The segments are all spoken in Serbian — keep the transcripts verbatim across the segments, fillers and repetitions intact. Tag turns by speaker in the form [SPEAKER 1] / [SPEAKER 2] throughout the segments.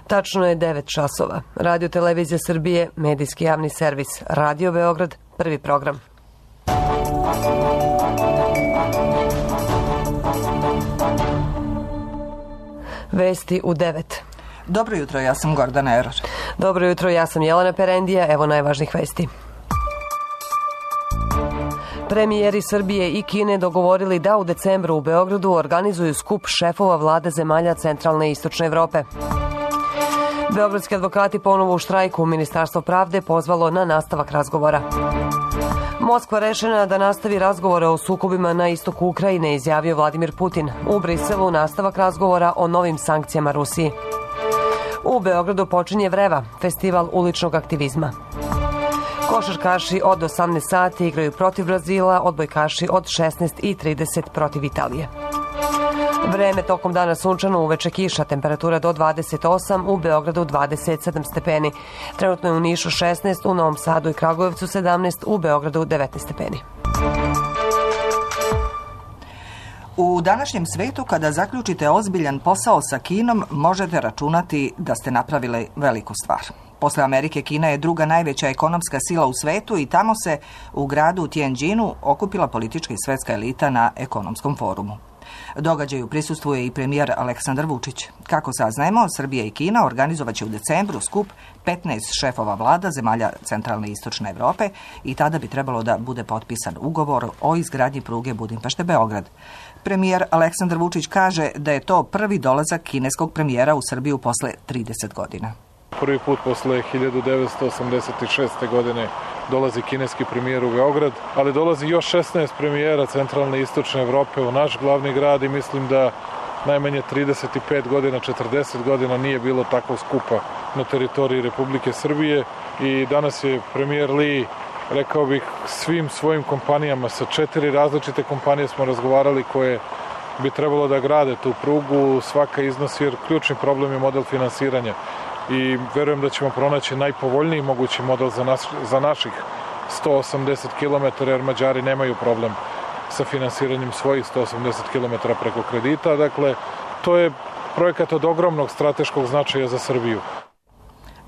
[SPEAKER 1] Tačno je devet časova. Radio Televizija Srbije, medijski javni servis. Radio Beograd, prvi program. Vesti u devet.
[SPEAKER 2] Dobro jutro, ja sam Gordana Eror.
[SPEAKER 1] Dobro jutro, ja sam Jelena Perendija. Evo najvažnijih vesti. Premijeri Srbije i Kine dogovorili da u decembru u Beogradu organizuju skup šefova vlada zemalja centralne i istočne Evrope. Beogradski advokati ponovo u štrajku. Ministarstvo pravde pozvalo na nastavak razgovora. Moskva rešena da nastavi razgovore o sukobima na istoku Ukrajine, izjavio Vladimir Putin. U Briselu nastavak razgovora o novim sankcijama Rusiji. U Beogradu počinje Vreva, festival uličnog aktivizma. Košarkaši od osamnaest sati igraju protiv Brazila, odbojkaši od šesnaest i trideset protiv Italije. Vreme tokom dana sunčano, uveče kiša, temperatura do dvadeset osam, u Beogradu dvadeset sedam stepeni. Trenutno je u Nišu šesnaest, u Novom Sadu i Kragujevcu sedamnaest, u Beogradu devetnaest stepeni.
[SPEAKER 2] U današnjem svetu, kada zaključite ozbiljan posao sa Kinom, možete računati da ste napravili veliku stvar. Posle Amerike, Kina je druga najveća ekonomska sila u svetu i tamo se u gradu Tianjinu okupila politička i svetska elita na ekonomskom forumu. Događaju prisustvuje i premijer Aleksandar Vučić. Kako saznajemo, Srbija i Kina organizovaće u decembru skup petnaest šefova vlada zemalja centralne i istočne Evrope i tada bi trebalo da bude potpisan ugovor o izgradnji pruge Budimpešte-Beograd. Premijer Aleksandar Vučić kaže da je to prvi dolazak kineskog premijera u Srbiju posle trideset godina.
[SPEAKER 3] Prvi put posle hiljadu devetsto osamdeset šeste. godine dolazi kineski premijer u Beograd, ali dolazi još šesnaest premijera centralne i istočne Evrope u naš glavni grad i mislim da najmanje trideset pet godina, četrdeset godina nije bilo takvog skupa na teritoriji Republike Srbije i danas je premijer Li, rekao bih, svim svojim kompanijama, sa četiri različite kompanije smo razgovarali koje bi trebalo da grade tu prugu, svaka iznosi, jer ključni problem je model finansiranja. I verujem da ćemo pronaći najpovoljniji mogući model za, nas, za naših sto osamdeset kilometara, jer Mađari nemaju problem sa finansiranjem svojih sto osamdeset kilometara preko kredita. Dakle, to je projekat od ogromnog strateškog značaja za Srbiju.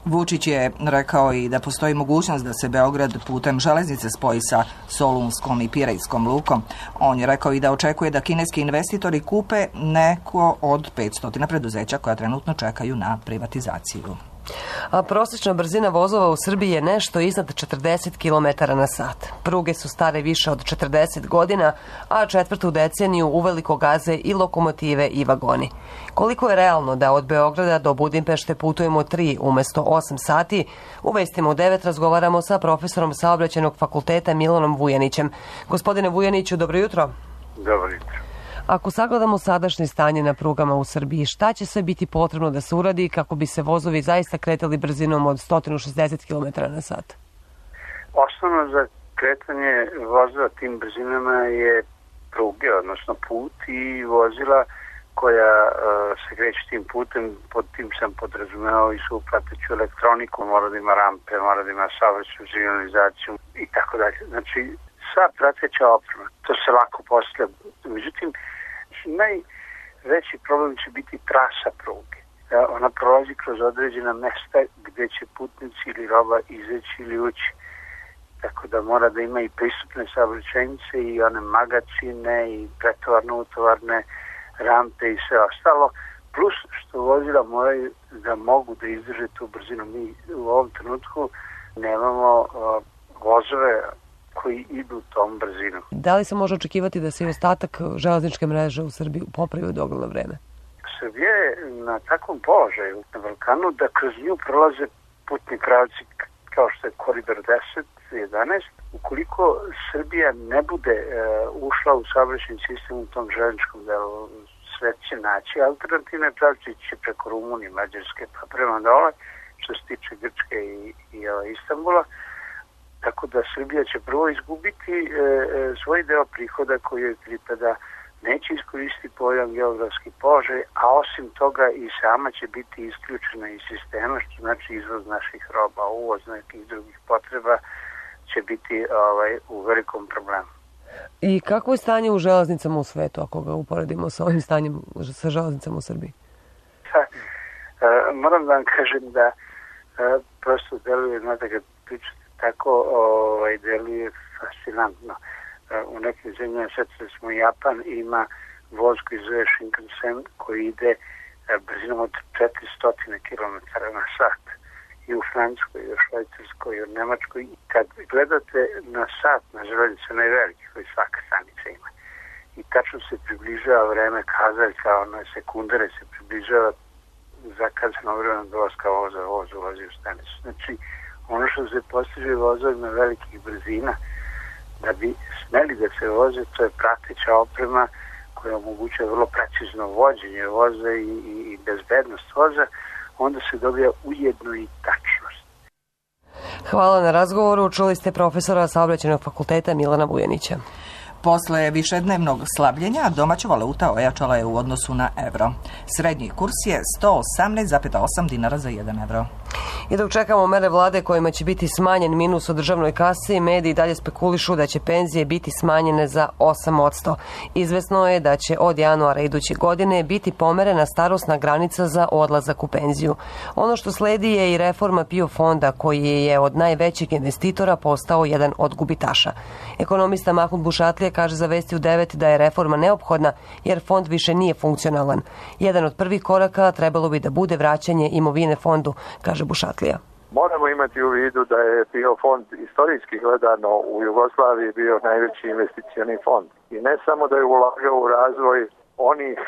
[SPEAKER 2] Vučić je rekao i da postoji mogućnost da se Beograd putem železnice spoji sa Solunskom i Pirejskom lukom. On je rekao i da očekuje da kineski investitori kupe neko od petsto preduzeća koja trenutno čekaju na privatizaciju.
[SPEAKER 1] A prosječna brzina vozova u Srbiji je nešto iznad četrdeset kilometara na sat. Pruge su stare više od četrdeset godina, a četvrtu deceniju uveliko gaze i lokomotive i vagoni. Koliko je realno da od Beograda do Budimpešte putujemo tri umesto osam sati? U vestima u devet razgovaramo sa profesorom Saobraćajnog fakulteta Milanom Vujanićem. Gospodine Vujaniću, dobro jutro.
[SPEAKER 4] Dobro jutro.
[SPEAKER 1] Ako sagledamo sadašnje stanje na prugama u Srbiji, šta će sve biti potrebno da se uradi kako bi se vozovi zaista kretali brzinom od sto šezdeset kilometara na sat?
[SPEAKER 4] Osnovno za kretanje vozila tim brzinama je pruge, odnosno put i vozila koja uh, se kreće tim putem. Pod tim sam podrazumeo i svu prateću elektroniku, mora da ima rampe, mora da ima saobraćajnu signalizaciju i tako dalje. Znači, sva prateća oprema, to se lako postavlja. Međutim, najveći problem će biti trasa pruge. Ona prolazi kroz određena mesta gde će putnici ili roba izaći ili ući. Tako da mora da ima i pristupne saobraćajnice i one magacine i pretovarno-utovarne rampe i sve ostalo. Plus što vozila moraju da mogu da izdrže tu brzinu. Mi u ovom trenutku nemamo uh, vozove koji idu tom brzinom.
[SPEAKER 1] Da li se može očekivati da se i ostatak železničke mreže u Srbiji popravi u dogledno vreme?
[SPEAKER 4] Srbija je na takvom položaju na Balkanu da kroz nju prolaze putni pravci kao što je koridor deset, jedanaest. Ukoliko Srbija ne bude e, ušla u saobraćajni sistem u tom železničkom delu, sve će naći alternativne pravci, će preko Rumunije, Mađarske pa prema dole, što se tiče Grčke i, i e, Istanbula. Tako da Srbija će prvo izgubiti e, e, svoj deo prihoda koji joj pripada, neće iskoristiti pojam geografski položaj, a osim toga i sama će biti isključena iz sistema, što znači izvoz naših roba, uvoz nekih drugih potreba će biti ovaj, u velikom problemu.
[SPEAKER 1] I kako je stanje u železnicama u svetu, ako ga uporedimo sa ovim stanjem sa železnicama u Srbiji?
[SPEAKER 4] Ha, moram da vam kažem da uh, prosto deluje, znate, kad pričate tako, ovaj, deluje fascinantno. Uh, u nekim zemljama, sad smo Japan, ima voz koji zove Shinkansen koji ide uh, brzinom od četiristo kilometara na sat. I u Francuskoj, i u Švajcarskoj, i u Nemačkoj. I kad gledate na sat na železnici, onaj veliki koji svaka stanica ima, i tačno se približava vreme kazaljka, ono sekundare se približava zakazano vreme dolaska voza, voz ulazi u stanicu. Znači, ono što se postiže vozovima velikih brzina, da bi smeli da se voze, to je prateća oprema koja omogućuje vrlo precizno vođenje voza i, i, i bezbednost voza, onda se dobija ujedno i tačnost.
[SPEAKER 1] Hvala na razgovoru. Čuli ste profesora Saobraćajnog fakulteta Milana Vujanića.
[SPEAKER 2] Posle višednevnog slabljenja domaća valuta ojačala je u odnosu na evro. Srednji kurs je sto osamnaest zarez osam dinara za jedan evro.
[SPEAKER 1] I dok čekamo mere vlade kojima će biti smanjen minus u državnoj kasi, mediji dalje spekulišu da će penzije biti smanjene za osam posto. Izvesno je da će od januara iduće godine biti pomerena starosna granica za odlazak u penziju. Ono što sledi je i reforma PIO fonda koji je od najvećeg investitora postao jedan od gubitaša. Ekonomista Mahmud Bušatlija kaže za Vesti u devet da je reforma neophodna jer fond više nije funkcionalan. Jedan od prvih koraka trebalo bi da bude vraćanje imovine fondu, kaže Bušatlija.
[SPEAKER 5] Moramo imati u vidu da je PIO fond istorijski gledano u Jugoslaviji bio najveći investicioni fond. I ne samo da je ulagao u razvoj onih,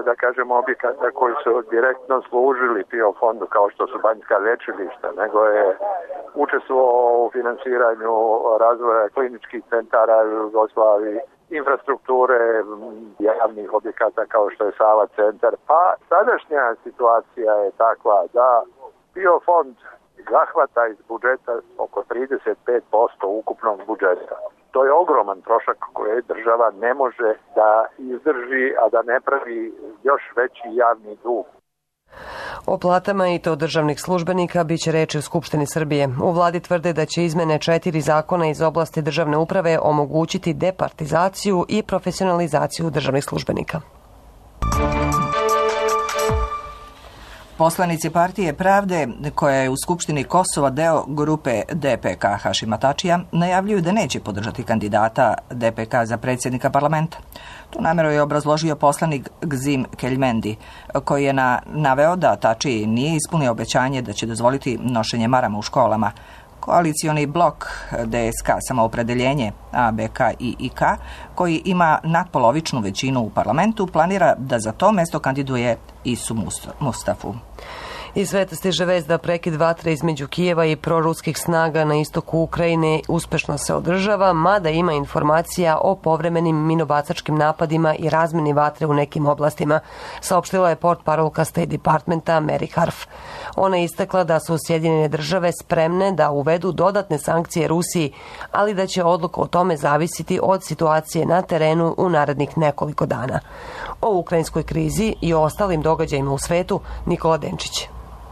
[SPEAKER 5] da kažemo, objekata koji su direktno služili PIO fondu, kao što su banjska lječilišta, nego je učestvovao u finansiranju razvoja kliničkih centara u Jugoslaviji, infrastrukture javnih objekata kao što je Sava centar. Pa sadašnja situacija je takva da PIO fond zahvata iz budžeta oko trideset pet posto ukupnog budžeta. To je ogroman trošak koji država ne može da izdrži, a da ne pravi još veći javni dug.
[SPEAKER 1] O platama i to državnih službenika biće reči u Skupštini Srbije. U vladi tvrde da će izmene četiri zakona iz oblasti državne uprave omogućiti departizaciju i profesionalizaciju državnih službenika.
[SPEAKER 2] Poslanici Partije Pravde, koja je u Skupštini Kosova deo grupe D P K Hašima Tačija, najavljuju da neće podržati kandidata D P K za predsjednika parlamenta. Tu nameru je obrazložio poslanik Gzim Keljmendi, koji je na, naveo da Tačiji nije ispunio obećanje da će dozvoliti nošenje marama u školama. Koalicioni blok D S K Samoopredeljenje A B K i I K, koji ima nadpolovičnu većinu u parlamentu, planira da za to mesto kandiduje Isu Mustafu.
[SPEAKER 1] Iz sveta stiže vest da prekid vatre između Kijeva i proruskih snaga na istoku Ukrajine uspešno se održava, mada ima informacija o povremenim minobacačkim napadima i razmeni vatre u nekim oblastima, saopštila je portparolka State Departmenta Mary Harf. Ona je istakla da su Sjedinjene države spremne da uvedu dodatne sankcije Rusiji, ali da će odluka o tome zavisiti od situacije na terenu u narednih nekoliko dana. O ukrajinskoj krizi i o ostalim događajima u svetu Nikola Denčić.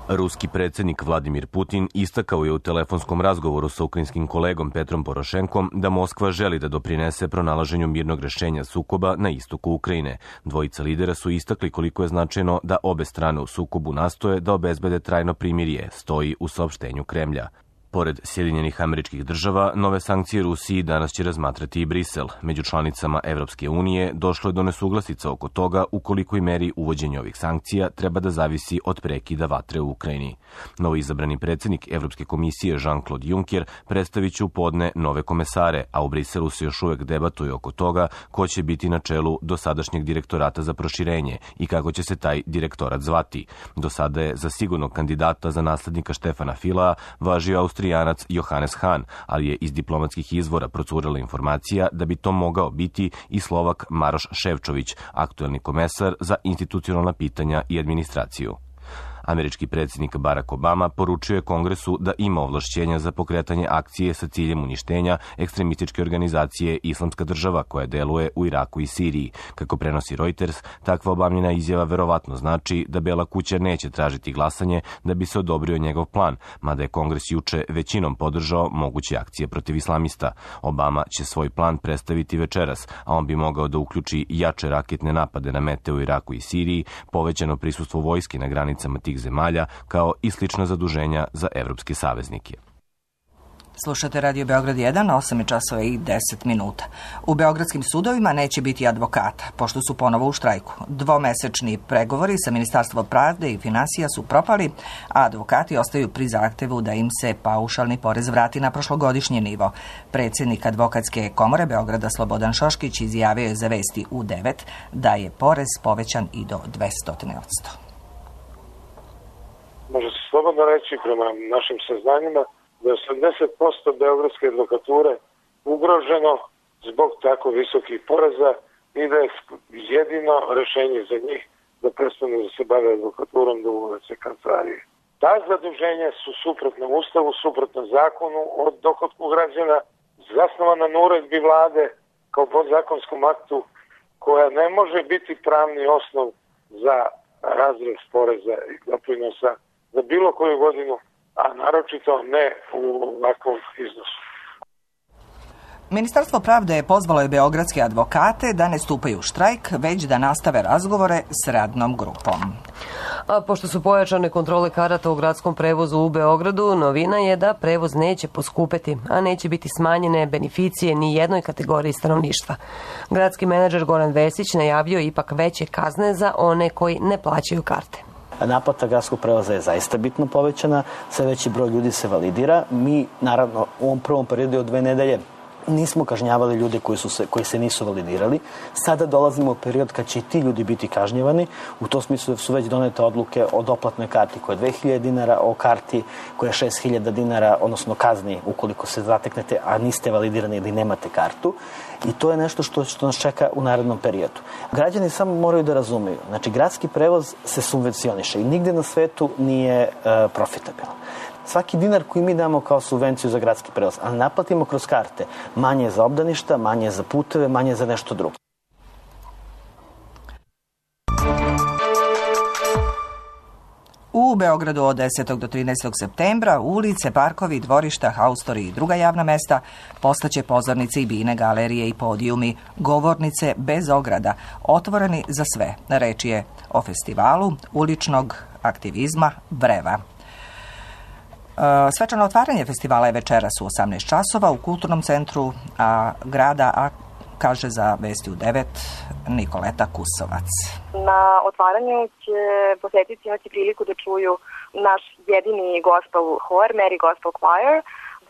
[SPEAKER 6] Ruski predsjednik Vladimir Putin istakao je u telefonskom razgovoru sa ukrajinskim kolegom Petrom Porošenkom da Moskva želi da doprinese pronalaženju mirnog rešenja sukoba na istoku Ukrajine. Dvojica lidera su istakli koliko je značajno da obe strane u sukobu nastoje da obezbede trajno primirje, stoji u saopštenju Kremlja. Pored Sjedinjenih Američkih Država, nove sankcije Rusiji danas će razmatrati i Brisel. Među članicama Evropske unije došlo je do nesuglasica oko toga u kolikoj meri uvođenje ovih sankcija treba da zavisi od prekida vatre u Ukrajini. Novo izabrani predsjednik Evropske komisije Jean-Claude Juncker predstavit će u podne nove komesare, a u Briselu se još uvek debatuje oko toga ko će biti na čelu dosadašnjeg direktorata za proširenje i kako će se taj direktorat zvati. Do sada je za sigurnog kandidata za naslednika Štefana Filea važio Austrijanac Johannes Hahn, ali je iz diplomatskih izvora procurela informacija da bi to mogao biti i Slovak Maroš Ševčović, aktuelni komesar za institucionalna pitanja i administraciju. Američki predsjednik Barack Obama poručio je Kongresu da ima ovlašćenja za pokretanje akcije sa ciljem uništenja ekstremističke organizacije Islamska država koja deluje u Iraku i Siriji. Kako prenosi Reuters, takva obamljena izjava verovatno znači da Bela kuća neće tražiti glasanje da bi se odobrio njegov plan, mada je Kongres juče većinom podržao moguće akcije protiv islamista. Obama će svoj plan predstaviti večeras, a on bi mogao da uključi jače raketne napade na mete u Iraku i Siriji, povećano prisustvo vojske na granicama tih drugih zemalja, kao i slična zaduženja za evropske saveznike.
[SPEAKER 2] Slušate Radio Beograd jedan, osam časova i deset minuta. U beogradskim sudovima neće biti advokata, pošto su ponovo u štrajku. Dvomesečni pregovori sa Ministarstvom pravde i finansija su propali, a advokati ostaju pri zahtevu da im se paušalni porez vrati na prošlogodišnji nivo. Predsjednik Advokatske komore Beograda Slobodan Šoškić izjavio je za Vesti U devet da je porez povećan i do dvesta posto.
[SPEAKER 7] Može se slobodno reći prema našim saznanjima da je osamdeset posto beogradske advokature ugroženo zbog tako visokih poreza i da je jedino rešenje za njih da prestanu da se bave advokaturom, da uvode kancelarije. Ta zaduženja su suprotna Ustavu, suprotna zakonu o dohotku građana, zasnovana na uredbi vlade kao podzakonskom aktu, koja ne može biti pravni osnov za razrez poreza i doprinosa za bilo koju godinu, a naročito ne u ovakvom iznosu.
[SPEAKER 2] Ministarstvo pravde je pozvalo je beogradske advokate da ne stupaju u štrajk, već da nastave razgovore s radnom grupom.
[SPEAKER 1] A pošto su pojačane kontrole karata u gradskom prevozu u Beogradu, novina je da prevoz neće poskupeti, a neće biti smanjene beneficije ni jednoj kategoriji stanovništva. Gradski menadžer Goran Vesić najavio ipak veće kazne za one koji ne plaćaju karte.
[SPEAKER 8] Naplata gradskog prevoza je zaista bitno povećana, sve veći broj ljudi se validira. Mi, naravno, u ovom prvom periodu od dve nedelje nismo kažnjavali ljude koji, su se, koji se nisu validirali. Sada dolazimo u period kad će i ti ljudi biti kažnjavani. U tom smislu su već donete odluke o doplatnoj karti koja je dve hiljade dinara, o karti koja je šest hiljada dinara, odnosno kazni ukoliko se zateknete, a niste validirani ili nemate kartu. I to je nešto što, što nas čeka u narednom periodu. Građani samo moraju da razumeju. Znači, gradski prevoz se subvencioniše i nigde na svetu nije e, profitabilan. Svaki dinar koji mi damo kao subvenciju za gradski prevoz, ali naplatimo kroz karte, manje je za obdaništa, manje je za puteve, manje je za nešto drugo.
[SPEAKER 2] U Beogradu od desetog do trinaestog septembra ulice, parkovi, dvorišta, haustori i druga javna mesta postaće pozornice i bine, galerije i podijumi, govornice bez ograda, otvoreni za sve. Reč je o festivalu uličnog aktivizma Vreva. Svečano otvaranje festivala je večeras u osamnaest časova u kulturnom centru a, grada, a kaže za Vesti U devet Nikoleta Kusovac.
[SPEAKER 9] Na otvaranju će posjetitelji imati priliku da čuju naš jedini gospel hor, Mary Gospel Choir.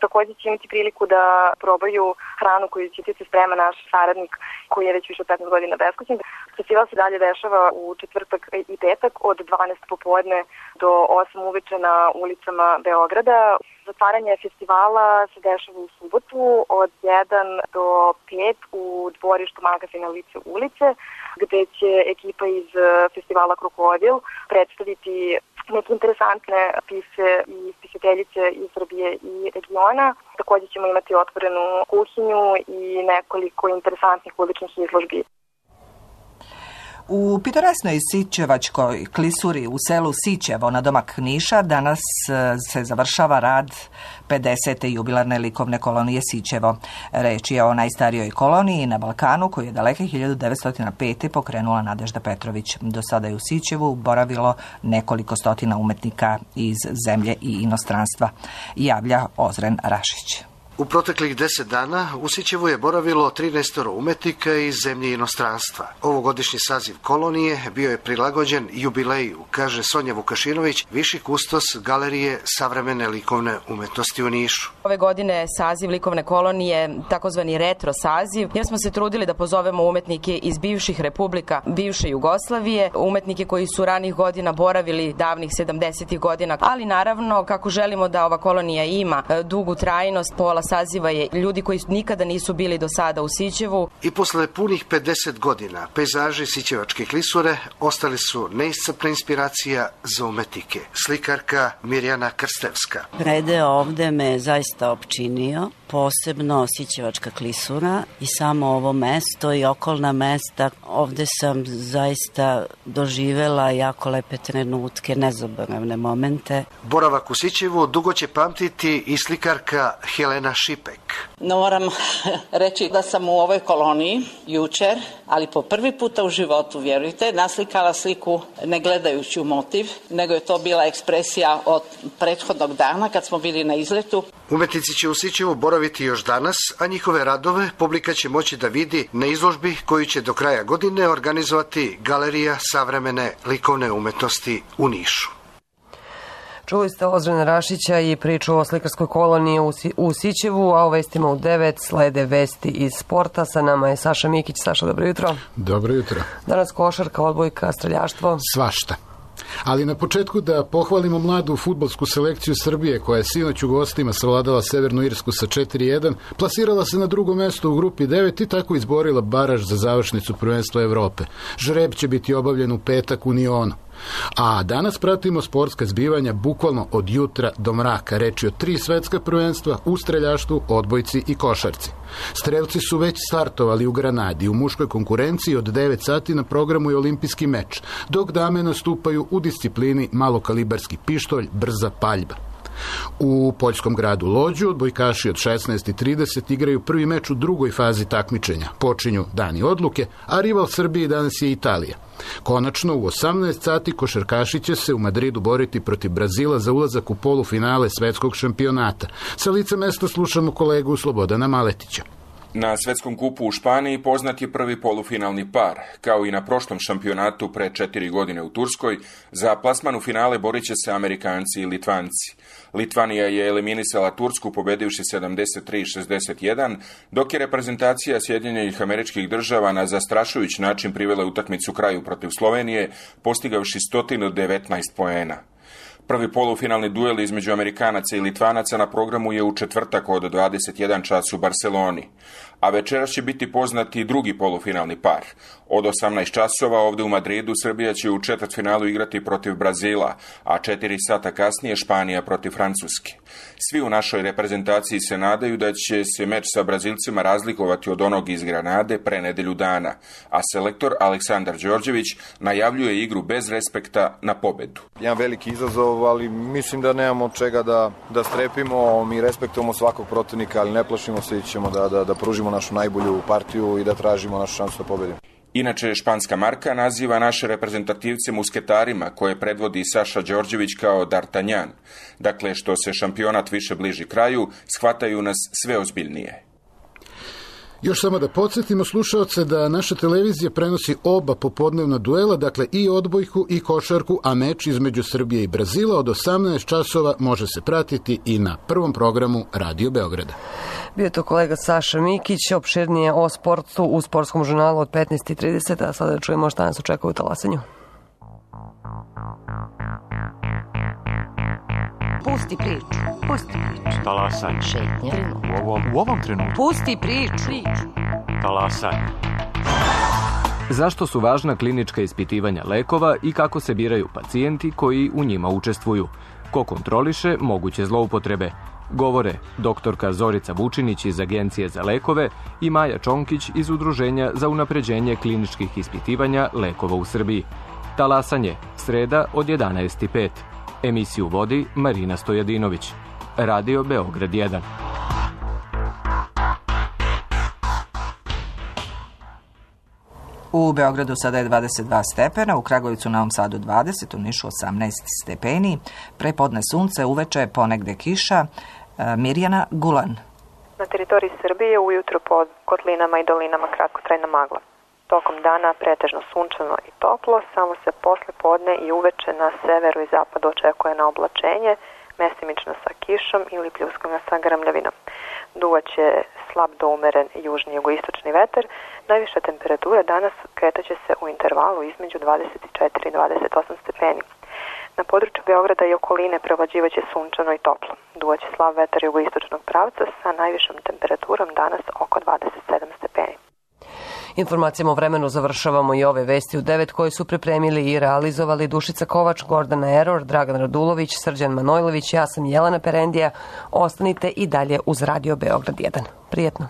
[SPEAKER 9] Također će imati priliku da probaju hranu koju će se sprema naš saradnik koji je već više od petnaest godina beskućen. Festival se dalje dešava u četvrtak i petak od dvanaest popodne do osam uveče na ulicama Beograda. Zatvaranje festivala se dešava u subotu od jedan do pet u dvorištu magazina Lice ulice, gde će ekipa iz festivala Krokodil predstaviti neke interesantne pise i spisateljice iz Srbije i regiona. Također ćemo imati otvorenu kuhinju i nekoliko interesantnih uličnih izložbi.
[SPEAKER 2] U pitoresnoj Sićevačkoj klisuri u selu Sićevo na domak Niša danas se završava rad pedesete jubilarne likovne kolonije Sićevo. Reč je o najstarijoj koloniji na Balkanu koju je daleke hiljadu devetsto pete. pokrenula Nadežda Petrović. Do sada je u Sićevu boravilo nekoliko stotina umetnika iz zemlje i inostranstva, javlja Ozren Rašić.
[SPEAKER 10] U proteklih deset dana u Sićevu je boravilo trinaest umetnika iz zemlje i inostranstva. Ovogodišnji saziv kolonije bio je prilagođen jubileju, kaže Sonja Vukašinović, viši kustos Galerije savremene likovne umetnosti u Nišu.
[SPEAKER 11] Ove godine saziv likovne kolonije takozvani retro saziv, jer smo se trudili da pozovemo umetnike iz bivših republika, bivše Jugoslavije, umetnike koji su ranih godina boravili davnih sedamdesetih godina, ali naravno kako želimo da ova kolonija ima dugu trajnost, pola saziva je ljudi koji nikada nisu bili do sada u Sićevu.
[SPEAKER 10] I posle punih pedeset godina pejzaži Sićevačke klisure ostali su neiscrpna inspiracija za umetnike. Slikarka Mirjana Krstevska.
[SPEAKER 12] Predeo ovde me zaista opčinio, posebno Sićevačka klisura i samo ovo mesto i okolna mesta. Ovde sam zaista doživela jako lepe trenutke, nezaboravne momente.
[SPEAKER 10] Boravak u Sićevu dugo će pamtiti i slikarka Helena Šipek.
[SPEAKER 13] No, moram reći da sam u ovoj koloniji jučer, ali po prvi puta u životu, vjerujte, naslikala sliku ne gledajući u motiv, nego je to bila ekspresija od prethodnog dana kad smo bili na izletu.
[SPEAKER 10] Umetnici će u Sićevu boraviti još danas, a njihove radove publika će moći da vidi na izložbi koju će do kraja godine organizovati Galerija savremene likovne umetnosti u Nišu.
[SPEAKER 1] Čuli ste Ozrena Rašića i priču o slikarskoj koloniji u Sićevu, a o vestima u devet slede vesti iz sporta. Sa nama je Saša Mikić. Saša, dobro jutro.
[SPEAKER 14] Dobro jutro.
[SPEAKER 1] Danas košarka, odbojka, streljaštvo.
[SPEAKER 14] Svašta. Ali na početku da pohvalimo mladu fudbalsku selekciju Srbije koja je sinoć u gostima savladala Severnu Irsku sa četiri jedan, plasirala se na drugo mesto u grupi devet i tako izborila baraž za završnicu prvenstva Evrope. Žreb će biti obavljen u petak u Nionu. A danas pratimo sportska zbivanja bukvalno od jutra do mraka. Reč je o tri svetska prvenstva u streljaštvu, odbojci i košarci. Strelci su već startovali u Granadi. U muškoj konkurenciji od devet sati na programu je olimpijski meč, dok dame nastupaju u disciplini malokalibarski pištolj, brza paljba. U poljskom gradu Lođu odbojkaši od šesnaest i trideset igraju prvi meč u drugoj fazi takmičenja. Počinju dani odluke, a rival Srbije danas je Italija. Konačno, u osamnaest sati košarkaši će se u Madridu boriti protiv Brazila za ulazak u polufinale svetskog šampionata. Sa lica mesta slušamo kolegu Slobodana Maletića.
[SPEAKER 15] Na svetskom kupu u Španiji poznat je prvi polufinalni par. Kao i na prošlom šampionatu pre četiri godine u Turskoj, za plasman u finale borit će se Amerikanci i Litvanci. Litvanija je eliminisala Tursku pobedivši sedamdeset tri šezdeset jedan, dok je reprezentacija Sjedinjenih Američkih Država na zastrašujući način privela utakmicu kraju protiv Slovenije, postigavši sto devetnaest poena. Prvi polufinalni duel između Amerikanaca i Litvanaca na programu je u četvrtak od dvadeset jedan čas u Barseloni, a večeras će biti poznati drugi polufinalni par. Od osamnaest časova ovde u Madridu Srbija će u četvrtfinalu igrati protiv Brazila, a četiri sata kasnije Španija protiv Francuske. Svi u našoj reprezentaciji se nadaju da će se meč sa Brazilcima razlikovati od onog iz Granade pre nedelju dana, a selektor Aleksandar Đorđević najavljuje igru bez respekta na pobedu.
[SPEAKER 16] Jedan veliki izazov, ali mislim da nemamo od čega da, da strepimo, mi respektujemo svakog protivnika, ali ne plašimo se i ćemo da, da, da pružimo našu najbolju partiju i da tražimo našu šansu da pobedimo.
[SPEAKER 15] Inače, španska marka naziva naše reprezentativce musketarima, koje predvodi Saša Đorđević kao D'Artagnan. Dakle, što se šampionat više bliži kraju, shvataju nas sve ozbiljnije.
[SPEAKER 14] Još samo da podsjetimo slušaoce da naša televizija prenosi oba popodnevna duela, dakle i odbojku i košarku, a meč između Srbije i Brazila od osamnaest časova može se pratiti i na prvom programu Radio Beograda.
[SPEAKER 1] Bio to kolega Saša Mikić, opširnije o sportu u sportskom žurnalu od petnaest i trideset, a sada čujemo šta nas očekuje u talasanju.
[SPEAKER 17] Pusti priču, pusti priču.
[SPEAKER 18] Talasanje.
[SPEAKER 17] Šetnje.
[SPEAKER 18] U ovom, u ovom trenutku.
[SPEAKER 17] Pusti priču.
[SPEAKER 18] Talasanje.
[SPEAKER 19] Zašto su važna klinička ispitivanja lekova i kako se biraju pacijenti koji u njima učestvuju? Ko kontroliše moguće zloupotrebe? Govore doktorka Zorica Vučinić iz Agencije za lekove i Maja Čonkić iz Udruženja za unapređenje kliničkih ispitivanja lekova u Srbiji. Talasanje, sreda od jedanaest i pet. Emisiju vodi Marina Stojadinović. Radio Beograd jedan.
[SPEAKER 2] U Beogradu sada je dvadeset dva stepena, u Kragujevcu, Novom Sadu dvadeset, u Nišu osamnaest stepeni, prepodne sunce, uveče ponegde kiša. Mirjana Gulan.
[SPEAKER 9] Na teritoriji Srbije ujutro pod kotlinama i dolinama kratkotrajna magla. Tokom dana pretežno sunčano i toplo, samo se posle podne i uveče na severu i zapadu očekuje na oblačenje, mestimično sa kišom ili pljuskovima sa grmljavinom. Duvaće slab do umeren južni jugoistočni vetar. Najviša temperatura danas kretaće se u intervalu između dvadeset četiri i dvadeset osam stepeni. Na području Beograda i okoline prevlađivaće sunčano i toplo. Duvaće slab vetar jugoistočnog pravca sa najvišom temperaturom danas oko dvadeset sedam stepeni.
[SPEAKER 1] Informacijama o vremenu završavamo i ove vesti u devet koje su pripremili i realizovali Dušica Kovač, Gordana Eror, Dragan Radulović, Srđan Manojlović, ja sam Jelena Perendija. Ostanite i dalje uz Radio Beograd jedan. Prijetno.